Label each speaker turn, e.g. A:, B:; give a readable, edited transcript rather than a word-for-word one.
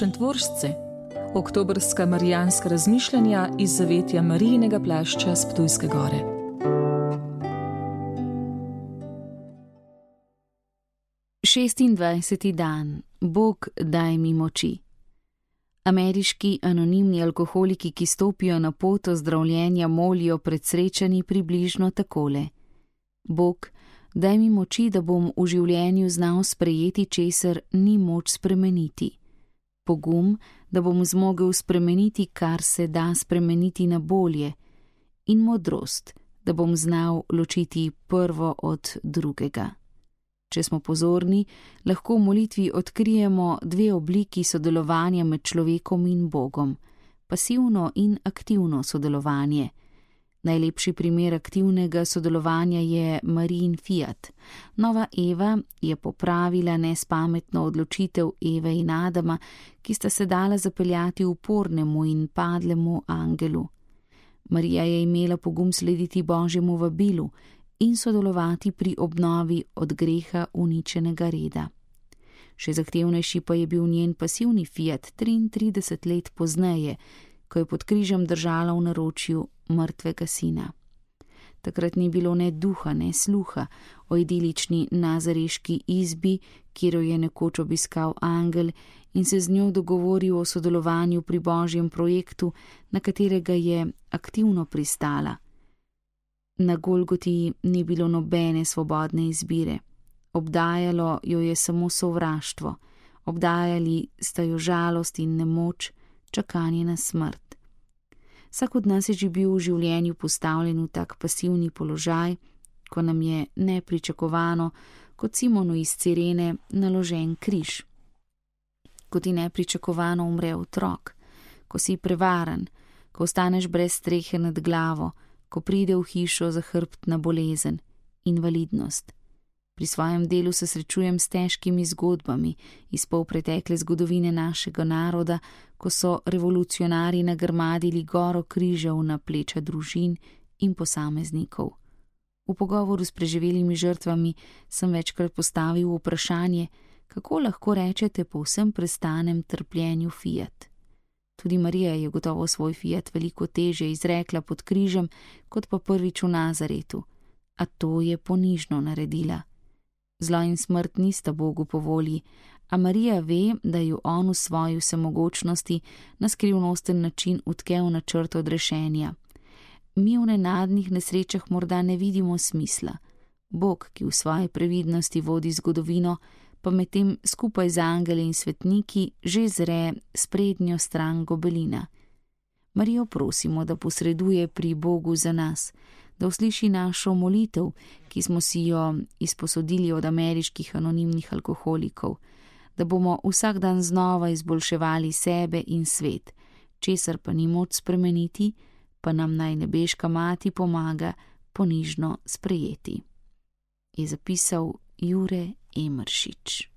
A: Šentvoržce, oktobrska marijanska razmišljanja iz zavetja Marijinega plašča s Ptujske gore.
B: Šestindvajseti dan. Bog, daj mi moči. Ameriški anonimni alkoholiki, ki stopijo na pot ozdravljenja, molijo pred srečanji približno takole: Bog, daj mi moči, da bom v življenju znal sprejeti, česar ni moč spremeniti. Pogum, da bom zmogel spremeniti, kar se da spremeniti na bolje. In modrost, da bom znal ločiti prvo od drugega. Če smo pozorni, lahko v molitvi odkrijemo dve obliki sodelovanja med človekom in Bogom: pasivno in aktivno sodelovanje. Najlepši primer aktivnega sodelovanja je Marijin fiat. Nova Eva je popravila nespametno odločitev Eve in Adama, ki sta se dala zapeljati upornemu in padlemu angelu. Marija je imela pogum slediti Božjemu vabilu in sodelovati pri obnovi od greha uničenega reda. Še zahtevnejši pa je bil njen pasivni fiat 33 let pozneje, ko je pod križem držala v naročju mrtvega sina. Takrat ni bilo ne duha, ne sluha o idilični nazareški izbi, kjer jo je nekoč obiskal angel in se z njo dogovoril o sodelovanju pri Božjem projektu, na katerega je aktivno pristala. Na Golgoti ni bilo nobene svobodne izbire. Obdajalo jo je samo sovraštvo, obdajali sta jo žalost in nemoč, čakanje na smrt. Vsak od nas je že bil v življenju postavljen v tak pasivni položaj, ko nam je nepričakovano, kot Simonu iz Cirene, naložen križ. Ko ti nepričakovano umre otrok, ko si prevaran, ko ostaneš brez strehe nad glavo, ko pride v hišo zahrbtna bolezen, invalidnost. Pri svojem delu se srečujem s težkimi zgodbami iz polpretekle zgodovine našega naroda, ko so revolucionarji nagrmadili goro križev na pleča družin in posameznikov. V pogovoru s preživelimi žrtvami sem večkrat postavil vprašanje, kako lahko rečete po vsem prestanem trpljenju fiat. Tudi Marija je gotovo svoj fiat veliko težje izrekla pod križem, kot pa prvič v Nazaretu, a to je ponižno naredila. Zlo in smrt nista Bogu po volji, a Marija ve, da ju on v svoji vsemogočnosti na skrivnosten način utkel načrt odrešenja. Mi v nenadnih nesrečah morda ne vidimo smisla. Bog, ki v svoji previdnosti vodi zgodovino, pa medtem skupaj z angeli in svetniki že zre sprednjo stran gobelina. Marijo prosimo, da posreduje pri Bogu za nas, da usliši našo molitev, ki smo si jo izposodili od ameriških anonimnih alkoholikov, da bomo vsak dan znova izboljševali sebe in svet, česar pa ni moč spremeniti, pa nam naj nebeška mati pomaga ponižno sprejeti. Je zapisal Jure Emeršič.